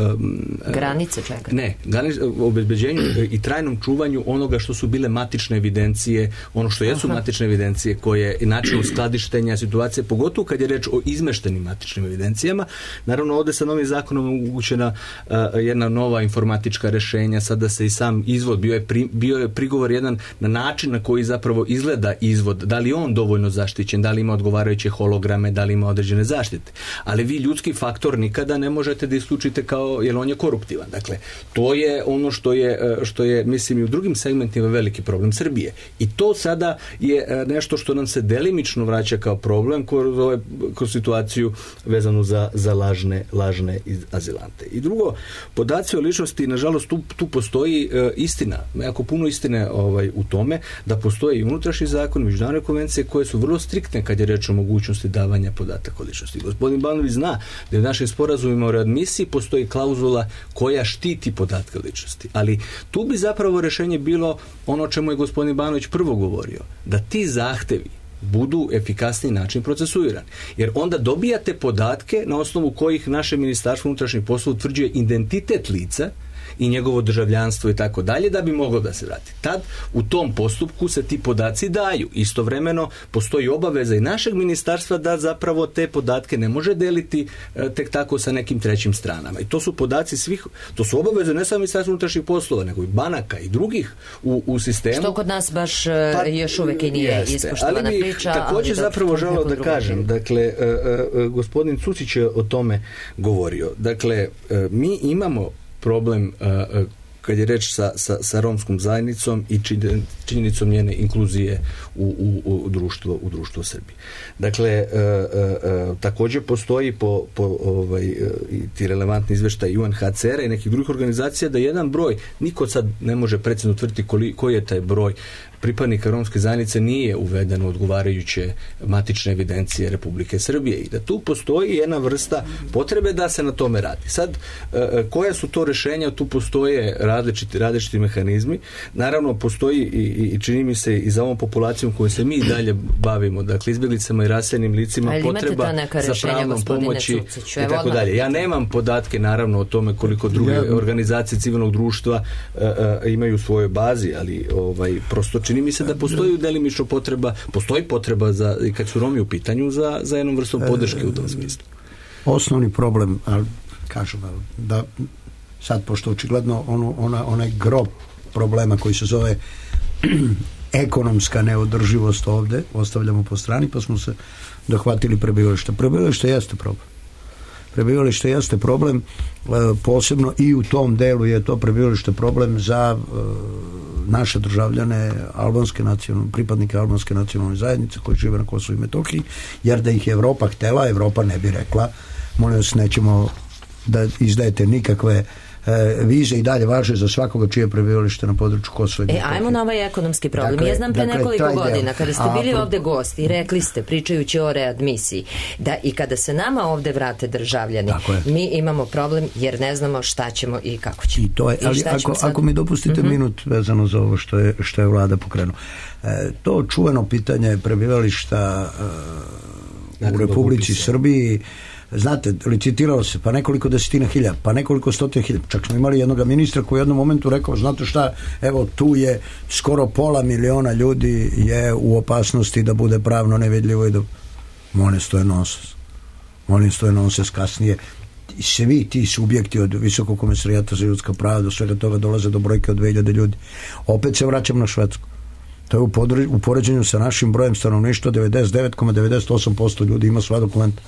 Speaker 6: uh, um,
Speaker 1: granice čega?
Speaker 6: Ne, granice, obezbeđenju i trajnom čuvanju onoga što su bile matične evidencije, ono što jesu Aha. matične evidencije, koje i način uskladištenja situacije, pogotovo kad je reč o izmeštenim matičnim evidencijama. Naravno, ovdje sa novim zakonom omogućena uh, jedna nova informatička rešenja, sada se i sam izvod, bio je, pri, bio je prigovor jedan na način na koji zapravo izgleda izvod, da li on dovoljno zaštićen, da li ima odgovarajuće holograme, da li ima određene zaštite. Ali vi ljudski faktor nikad da ne možete da isključite kao, jer on je koruptivan. Dakle, to je ono što je, što je, mislim, i u drugim segmentima veliki problem Srbije. I to sada je nešto što nam se delimično vraća kao problem kroz, kroz situaciju vezanu za, za lažne, lažne azilante. I drugo, podaci o ličnosti, nažalost, tu, tu postoji e, istina, jako puno istine ovaj, u tome, da postoje i unutrašnji zakon, međunarodne konvencije koje su vrlo striktne kad je reč o mogućnosti davanja podataka o ličnosti. Gospodin Banović zna da je u našem sporazumima o readmisiji postoji klauzula koja štiti podatke o ličnosti. Ali tu bi zapravo rešenje bilo ono o čemu je gospodin Banović prvo govorio, da ti zahtevi budu efikasniji način procesuirani. Jer onda dobijate podatke na osnovu kojih naše Ministarstvo unutrašnjih poslova utvrđuje identitet lica i njegovo državljanstvo i tako dalje, da bi moglo da se vrati. Tad u tom postupku se ti podaci daju. Istovremeno postoji obaveza i našeg ministarstva da zapravo te podatke ne može deliti e, tek tako sa nekim trećim stranama. I to su podaci svih, to su obaveze ne samo Ministarstva unutrašnjih poslova, nego i banaka i drugih u, u sistemu.
Speaker 1: Što kod nas baš pa, još uvek i nije ispoštovana
Speaker 6: ali
Speaker 1: priča.
Speaker 6: Također zapravo želeo da kažem, dakle, e, e, gospodin Cucić je o tome govorio. Dakle, e, mi imamo problem uh, kad je reč sa, sa, sa romskom zajednicom i činjenicom njene inkluzije u, u, u društvo u društvo Srbije. Dakle, e, e, e, također postoji po, po ovaj, e, ti relevantni izveštaj U N H C R-a i nekih drugih organizacija da jedan broj, niko sad ne može precizno utvrditi koji je taj broj pripadnika romske zajednice nije uveden u odgovarajuće matične evidencije Republike Srbije i da tu postoji jedna vrsta potrebe da se na tome radi. Sad, koja su to rješenja? Tu postoje različiti, različiti mehanizmi. Naravno, postoji i, i čini mi se i za ovom populacijom koju se mi i dalje bavimo, dakle izbjeglicama i raseljenim licima, potreba za pravnom pomoći i tako dalje. Ja nemam podatke naravno o tome koliko druge ja, organizacije civilnog društva uh, uh, imaju u svojoj bazi, ali ovaj, prosto čini mi se da postoji delimično potreba, postoji potreba za, kad su Romi u pitanju za, za jednom vrstom podrške u tom smislu.
Speaker 4: Osnovni problem, ali kažem, da sad pošto očigledno ono, ona, onaj grob problema koji se zove ekonomska neodrživost ovde ostavljamo po strani, pa smo se dohvatili prebivališta. Prebivalište jeste problem. Prebivalište jeste problem, posebno i u tom delu je to prebivalište problem za naše državljane albanske nacionalne, pripadnike albanske nacionalne zajednice koji žive na Kosovu i Metohiji, jer da ih je Evropa htela, Evropa ne bi rekla, molim vas, nećemo da izdajete nikakve e, vize i dalje važe za svakoga čije prebivalište na području Kosova i Metohije.
Speaker 1: E, ajmo na ovaj ekonomski problem. Dakle, ja znam pre dakle, nekoliko godina, kada ste bili a, ovde gosti, rekli ste, pričajući o readmisiji, da i kada se nama ovde vrate državljani, mi imamo problem jer ne znamo šta ćemo i kako ćemo.
Speaker 4: I to je, I ali ako, ako mi dopustite mm-hmm. minut vezano za ovo što je, što je vlada pokrenula. E, to čuveno pitanje prebivališta e, u Republici Srbiji, znate, licitiralo se, pa nekoliko desetina hiljada, pa nekoliko stotina hiljada. Čak smo imali jednog ministra koji u jednom momentu rekao, znate šta, evo tu je skoro pola miliona ljudi je u opasnosti da bude pravno nevidljivo i da... Molim, to je nonsens. Molim, to je nonsens. Kasnije svi ti subjekti od Visokog komesarijata za ljudska prava do svega toga dolaze do brojke od dve hiljade ljudi. Opet se vraćam na Švedsku. To je u, podre, u poređenju sa našim brojem stanovništva devedeset devet zarez devedeset osam posto ljudi ima sva dokumenta.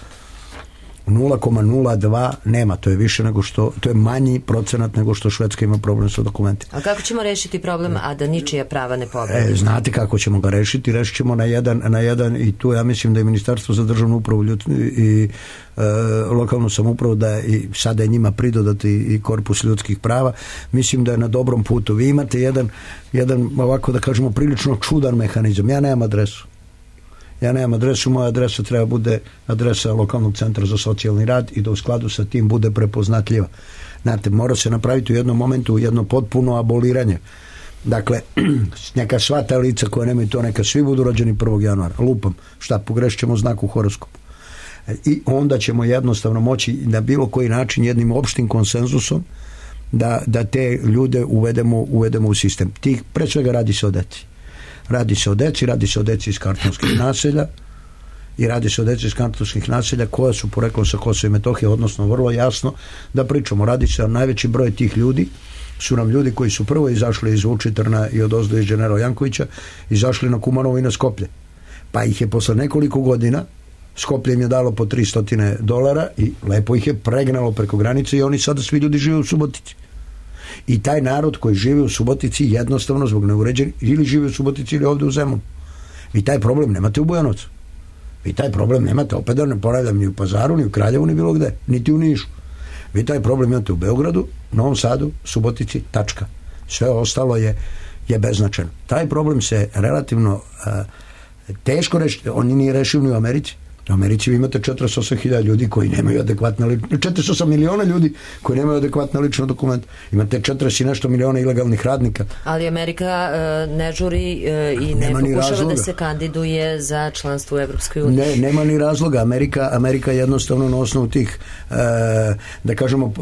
Speaker 4: nula zarez nula dva nema, to je više nego što, to je manji procenat nego što Švedska ima problem sa dokumentima.
Speaker 1: A kako ćemo rešiti problem, a da ničija prava ne povredi?
Speaker 4: E, znate kako ćemo ga rešiti? Rešit ćemo na jedan, na jedan i tu ja mislim da je Ministarstvo za državnu upravu ljud, i e, lokalnu samoupravu da je, i sada je njima pridodati i korpus ljudskih prava, mislim da je na dobrom putu. Vi imate jedan, jedan ovako da kažemo prilično čudan mehanizam. Ja nemam adresu. Ja nemam adresu, moja adresa treba bude adresa lokalnog centra za socijalni rad i da u skladu sa tim bude prepoznatljiva. Znate, mora se napraviti u jednom momentu jedno potpuno aboliranje. Dakle, neka sva ta lica koja nemaju to, neka svi budu rođeni prvog januara. Lupam, šta, pogrešit ćemo znak u horoskopu. I onda ćemo jednostavno moći na bilo koji način jednim opštim konsenzusom da, da te ljude uvedemo, uvedemo u sistem. Tih, pre svega radi se o deci. Radi se o deci, radi se o deci iz kartonskih naselja i radi se o deci iz kartonskih naselja koja su poreklom sa Kosova i Metohije, odnosno vrlo jasno da pričamo. Radi se o najveći broj tih ljudi su nam ljudi koji su prvo izašli iz Vučitrna i od ozdo iz Generala Jankovića, izašli na Kumanovo i na Skoplje. Pa ih je posle nekoliko godina Skoplje im je dalo po tristo dolara i lepo ih je pregnalo preko granice i oni sada svi ljudi žive u Subotici. I taj narod koji živi u Subotici jednostavno zbog neuređenih ili živi u Subotici ili ovde u Zemunu. Vi taj problem nemate u Bujanovcu. Vi taj problem nemate, opet da ne ponavljam, ni u Pazaru, ni u Kraljevu, ni bilo gde, niti u Nišu. Vi taj problem imate u Beogradu, Novom Sadu, Subotici, tačka. Sve ostalo je, je beznačajno. Taj problem se relativno uh, teško rešiti, on nije rešiv ni u Americi. U Americi vi imate četrdeset osam hiljada ljudi koji nemaju adekvatna lična, četrdeset osam miliona ljudi koji nemaju adekvatna lična dokumenta. Imate četrdeset i nešto miliona ilegalnih radnika.
Speaker 1: Ali Amerika uh, ne žuri uh, i ne pokušava da se kandiduje za članstvo u Evropskoj uniji.
Speaker 4: Ne, nema ni razloga. Amerika, Amerika jednostavno na osnovu tih uh, da kažemo uh,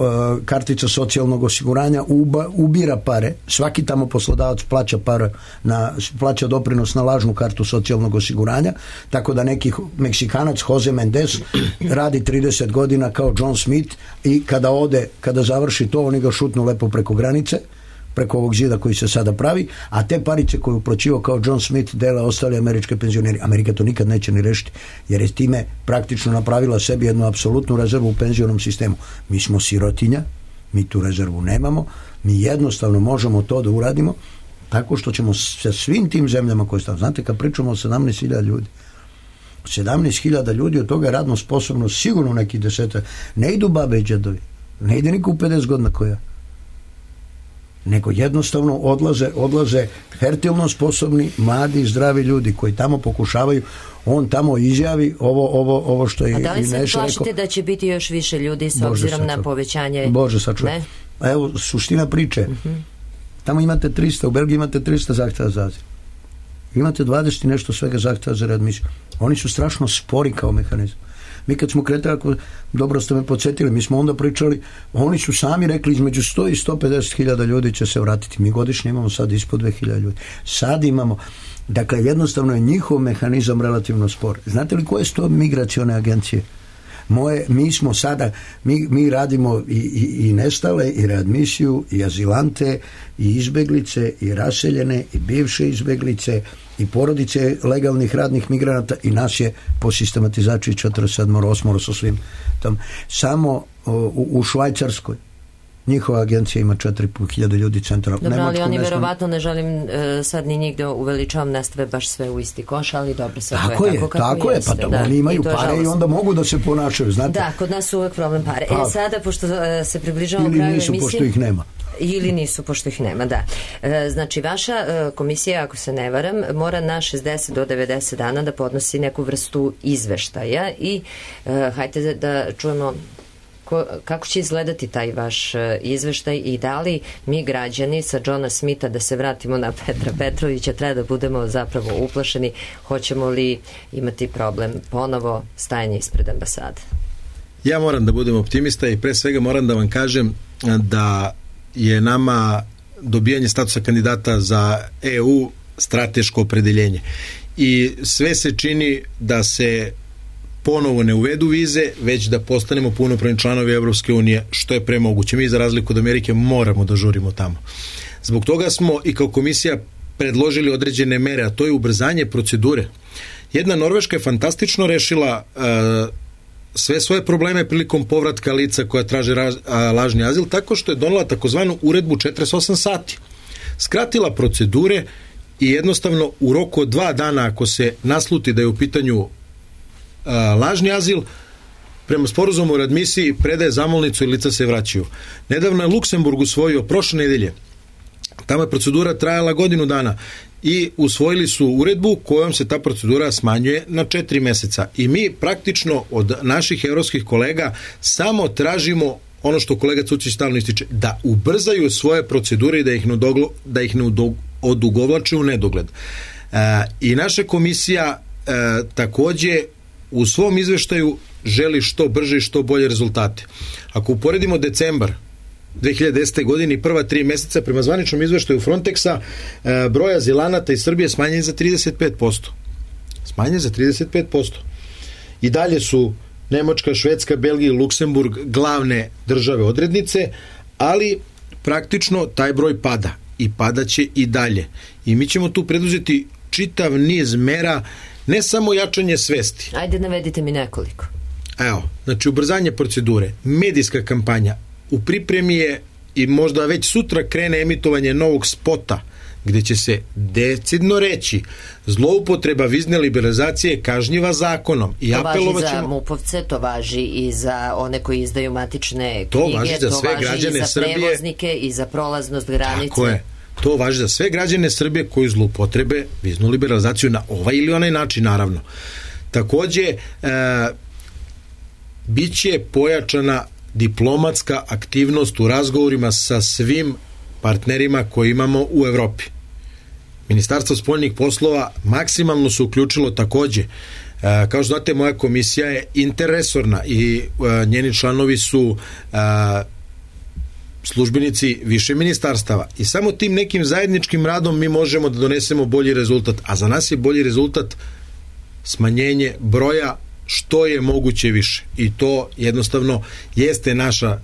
Speaker 4: kartica socijalnog osiguranja uba, ubira pare. Svaki tamo poslodavac plaća pare na, plaća doprinos na lažnu kartu socijalnog osiguranja, tako da nekih Meksikana Jose Mendes radi trideset godina kao John Smith i kada ode, kada završi to, oni ga šutnu lepo preko granice, preko ovog zida koji se sada pravi, a te parice koje uplaćivao kao John Smith dele ostali američke penzioneri. Amerika to nikad neće ni rešiti, jer je time praktično napravila sebi jednu apsolutnu rezervu u penzionom sistemu. Mi smo sirotinja, Mi tu rezervu nemamo, mi jednostavno možemo to da uradimo tako što ćemo sa svim tim zemljama koje stavimo. Znate, kad pričamo o sedamnaest hiljada ljudi, sedamnaest hiljada ljudi, od toga je radno sposobno sigurno neki desetak. Ne idu babe i džedovi, ne ide niko u pedeset godina koja, nego jednostavno odlaze, odlaze fertilno sposobni, mladi, zdravi ljudi koji tamo pokušavaju. On tamo izjavi ovo, ovo, ovo što je.
Speaker 1: A da li se
Speaker 4: Neša
Speaker 1: plašite
Speaker 4: rekao,
Speaker 1: da će biti još više ljudi s
Speaker 4: Bože
Speaker 1: obzirom
Speaker 4: sačuvaj.
Speaker 1: na povećanje?
Speaker 4: Bože sačuvaj.
Speaker 1: Ne?
Speaker 4: A evo, suština priče. Uh-huh. Tamo imate trista, u Belgiji imate trista zahtjeva za azil. Imate dvadeset i nešto svega zahtjeva za readmisiju. Oni su strašno spori kao mehanizam. Mi kad smo kretali, ako dobro ste me podsjetili, mi smo onda pričali, oni su sami rekli između sto i sto pedeset hiljada ljudi će se vratiti. Mi godišnje imamo sad ispod dve hiljade ljudi. Sad imamo, dakle jednostavno je njihov mehanizam relativno spor. Znate li koje su to migracione agencije? Moje, mi smo sada, mi, mi radimo i, i, i nestale, i readmisiju, i azilante, i izbeglice, i raseljene, i bivše izbeglice, i porodice legalnih radnih migranata, i nas je po sistematizaciji četrdeset sedam osam sa svim tam. Samo u, u Švajcarskoj njihova agencija ima četiri i po hiljade ljudi centra.
Speaker 1: Dobro,
Speaker 4: Nemačku,
Speaker 1: ali oni
Speaker 4: ne
Speaker 1: verovatno, ne želim uh, sad ni njih da uveličavam, ne stave baš sve u isti koš, ali dobro, sad
Speaker 4: tako
Speaker 1: to je
Speaker 4: je,
Speaker 1: tako kako
Speaker 4: tako
Speaker 1: jeste.
Speaker 4: je, pa da,
Speaker 1: da,
Speaker 4: oni imaju
Speaker 1: i
Speaker 4: pare
Speaker 1: žalostno.
Speaker 4: i onda mogu da se ponašaju, znate.
Speaker 1: Da, kod nas su uvek problem pare.
Speaker 4: Pa,
Speaker 1: e, sada, pošto uh, se približavamo
Speaker 4: ili
Speaker 1: kraju
Speaker 4: nisu,
Speaker 1: emisije...
Speaker 4: pošto ih nema.
Speaker 1: Ili nisu, pošto ih nema, da. E, znači, vaša e, komisija, ako se ne varam, mora na šezdeset do devedeset dana da podnosi neku vrstu izveštaja i e, hajde da čujemo ko, kako će izgledati taj vaš e, izveštaj i da li mi građani sa Johna Smitha, da se vratimo na Petra Petrovića, treba da budemo zapravo uplašeni, hoćemo li imati problem ponovo stajanje ispred ambasade?
Speaker 5: Ja moram da budem optimista i pre svega moram da vam kažem da je nama dobijanje statusa kandidata za E U strateško opredeljenje. I sve se čini da se ponovo ne uvedu vize, već da postanemo punopravni članovi Evropske unije, što je premoguće. Mi za razliku od Amerike moramo da žurimo tamo. Zbog toga smo i kao komisija predložili određene mere, a to je ubrzanje procedure. Jedna Norveška je fantastično rešila uh, sve svoje probleme prilikom povratka lica koja traže raz, a, lažni azil, tako što je donela takozvanu uredbu četrdeset osam sati. Skratila procedure i jednostavno u roku od dva dana, ako se nasluti da je u pitanju a, lažni azil, prema sporazumu o readmisiji predaje zamolnicu i lica se vraćaju. Nedavno je Luksemburg usvojio prošle nedelje. Tamo je procedura trajala godinu dana i usvojili su uredbu kojom se ta procedura smanjuje na četiri meseca. I mi praktično od naših evropskih kolega samo tražimo ono što kolega Cucić stalno ističe, da ubrzaju svoje procedure i da ih ne, odoglo, da ih ne odugovlače u nedogled. E, I naša komisija e, takođe u svom izveštaju želi što brže i što bolje rezultate. Ako uporedimo decembar dve hiljade desete. godine i prva tri meseca, prema zvaničnom izveštaju Frontexa, broj azilanata iz Srbije smanjen za trideset pet posto. Smanjen za trideset pet posto. I dalje su Nemačka, Švedska, Belgija i Luksemburg glavne države odrednice, ali praktično taj broj pada i padaće i dalje. I mi ćemo tu preduzeti čitav niz mera, ne samo jačanje svesti.
Speaker 1: Ajde, navedite mi nekoliko.
Speaker 5: Evo, znači ubrzanje procedure, medijska kampanja, u pripremi je i možda već sutra krene emitovanje novog spota gde će se decidno reći zloupotreba vizne liberalizacije kažnjiva zakonom. I
Speaker 1: to važi za
Speaker 5: ćemo...
Speaker 1: mupovce, to važi i za one koji izdaju matične
Speaker 5: to
Speaker 1: knjige,
Speaker 5: važi za
Speaker 1: to
Speaker 5: sve
Speaker 1: važi
Speaker 5: građane
Speaker 1: i za
Speaker 5: Srbije.
Speaker 1: prevoznike i za prolaznost granice.
Speaker 5: Tako je. To važi za sve građane Srbije koji zloupotrebe viznu liberalizaciju na ovaj ili onaj način, naravno. Takođe, e, bit će pojačana diplomatska aktivnost u razgovorima sa svim partnerima koje imamo u Evropi. Ministarstvo spoljnih poslova maksimalno se uključilo takođe. E, kao što znate, moja komisija je interresorna i e, njeni članovi su e, službenici više ministarstava i samo tim nekim zajedničkim radom mi možemo da donesemo bolji rezultat, a za nas je bolji rezultat smanjenje broja što je moguće više i to jednostavno jeste naša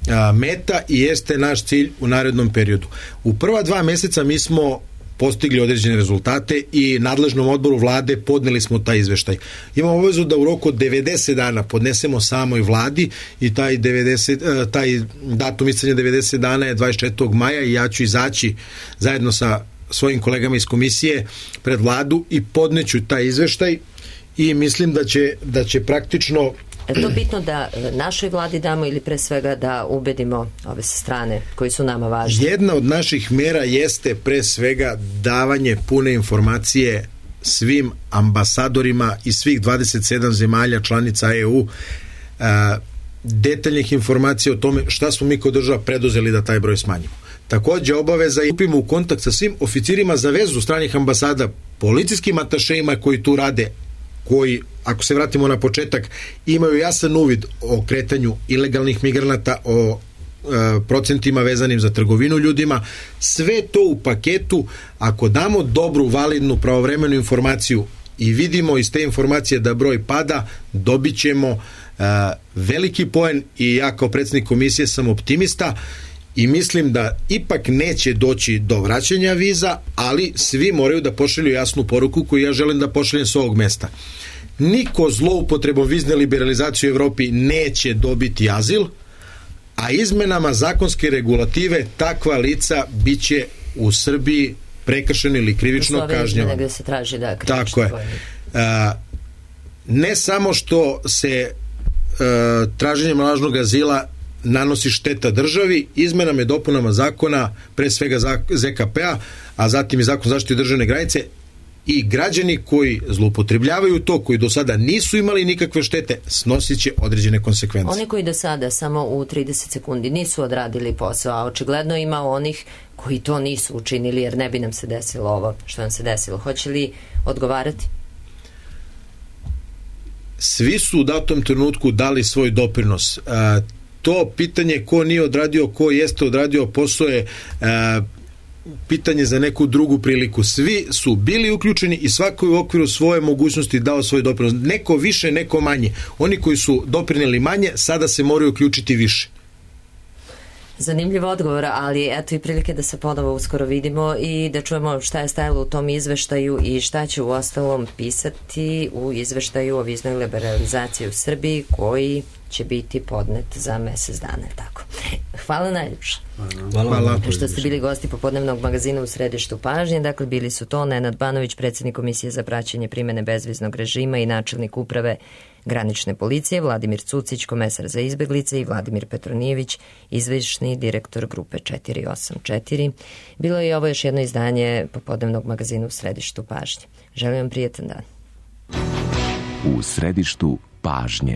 Speaker 5: a, meta i jeste naš cilj u narednom periodu. U prva dva meseca mi smo postigli određene rezultate i nadležnom odboru vlade podneli smo taj izveštaj. Imamo obavezu da u roku od devedeset dana podnesemo samoj vladi i taj, devedeset, taj datum isticanja devedeset dana je dvadeset četvrtog maja i ja ću izaći zajedno sa svojim kolegama iz komisije pred vladu i podneću taj izveštaj i mislim da će, da će praktično...
Speaker 1: Je to bitno da našoj vladi damo ili pre svega da ubedimo ove strane koji su nama važni?
Speaker 5: Jedna od naših mera jeste pre svega davanje pune informacije svim ambasadorima iz svih dvadeset sedam zemalja članica E U, detaljnih informacija o tome šta smo mi kao država preduzeli da taj broj smanjimo. Takođe obaveza i upimo u kontakt sa svim oficirima za vezu stranih ambasada, policijskim atašejima koji tu rade, koji, ako se vratimo na početak, imaju jasan uvid o kretanju ilegalnih migranata, o e, procentima vezanim za trgovinu ljudima. Sve to u paketu, ako damo dobru, validnu, pravovremenu informaciju i vidimo iz te informacije da broj pada, dobit ćemo e, veliki poen i ja kao predsjednik komisije sam optimista i mislim da ipak neće doći do vraćanja viza, ali svi moraju da pošalju jasnu poruku koju ja želim da pošaljem s ovog mesta. Niko zloupotrebom vizne liberalizacije u Evropi neće dobiti azil, a izmenama zakonske regulative takva lica biće u Srbiji prekršeno ili krivično kažnjavano.
Speaker 1: Gde se traži da krivično.
Speaker 5: Tako je. A, ne samo što se a, traženjem lažnog azila nanosi šteta državi, izmenama i dopunama zakona, pre svega Z K P-a, a zatim i zakon zaštite državne granice, i građani koji zloupotrebljavaju to, koji do sada nisu imali nikakve štete, snosit će određene konsekvence.
Speaker 1: Oni koji do sada samo u trideset sekundi nisu odradili posao, a očigledno ima onih koji to nisu učinili, jer ne bi nam se desilo ovo što nam se desilo. Hoće li odgovarati?
Speaker 5: Svi su u datom trenutku dali svoj doprinos. A, to pitanje ko nije odradio, ko jeste odradio posao je a, pitanje za neku drugu priliku. Svi su bili uključeni i svako je u okviru svoje mogućnosti dao svoj doprinos. Neko više, neko manje. Oni koji su doprineli manje, sada se moraju uključiti više.
Speaker 1: Zanimljiv odgovor, ali eto i prilike da se ponovo uskoro vidimo i da čujemo šta je stajalo u tom izveštaju i šta će u ostalom pisati u izveštaju o viznoj liberalizaciji u Srbiji, koji će biti podnet za mesec dana. Tako. Hvala najljepše.
Speaker 5: Hvala. Hvala.
Speaker 1: Što ste bili gosti popodnevnog magazina u središtu pažnje. Dakle, bili su to Nenad Banović, predsjednik Komisije za praćenje primene bezviznog režima i načelnik uprave granične policije, Vladimir Cucić, komesar za izbeglice, i Vladimir Petronijević, izvršni direktor grupe četiri osam četiri. Bilo je ovo još jedno izdanje popodnevnog magazina u središtu pažnje. Želim vam prijetan dan.
Speaker 7: U središtu pažnje.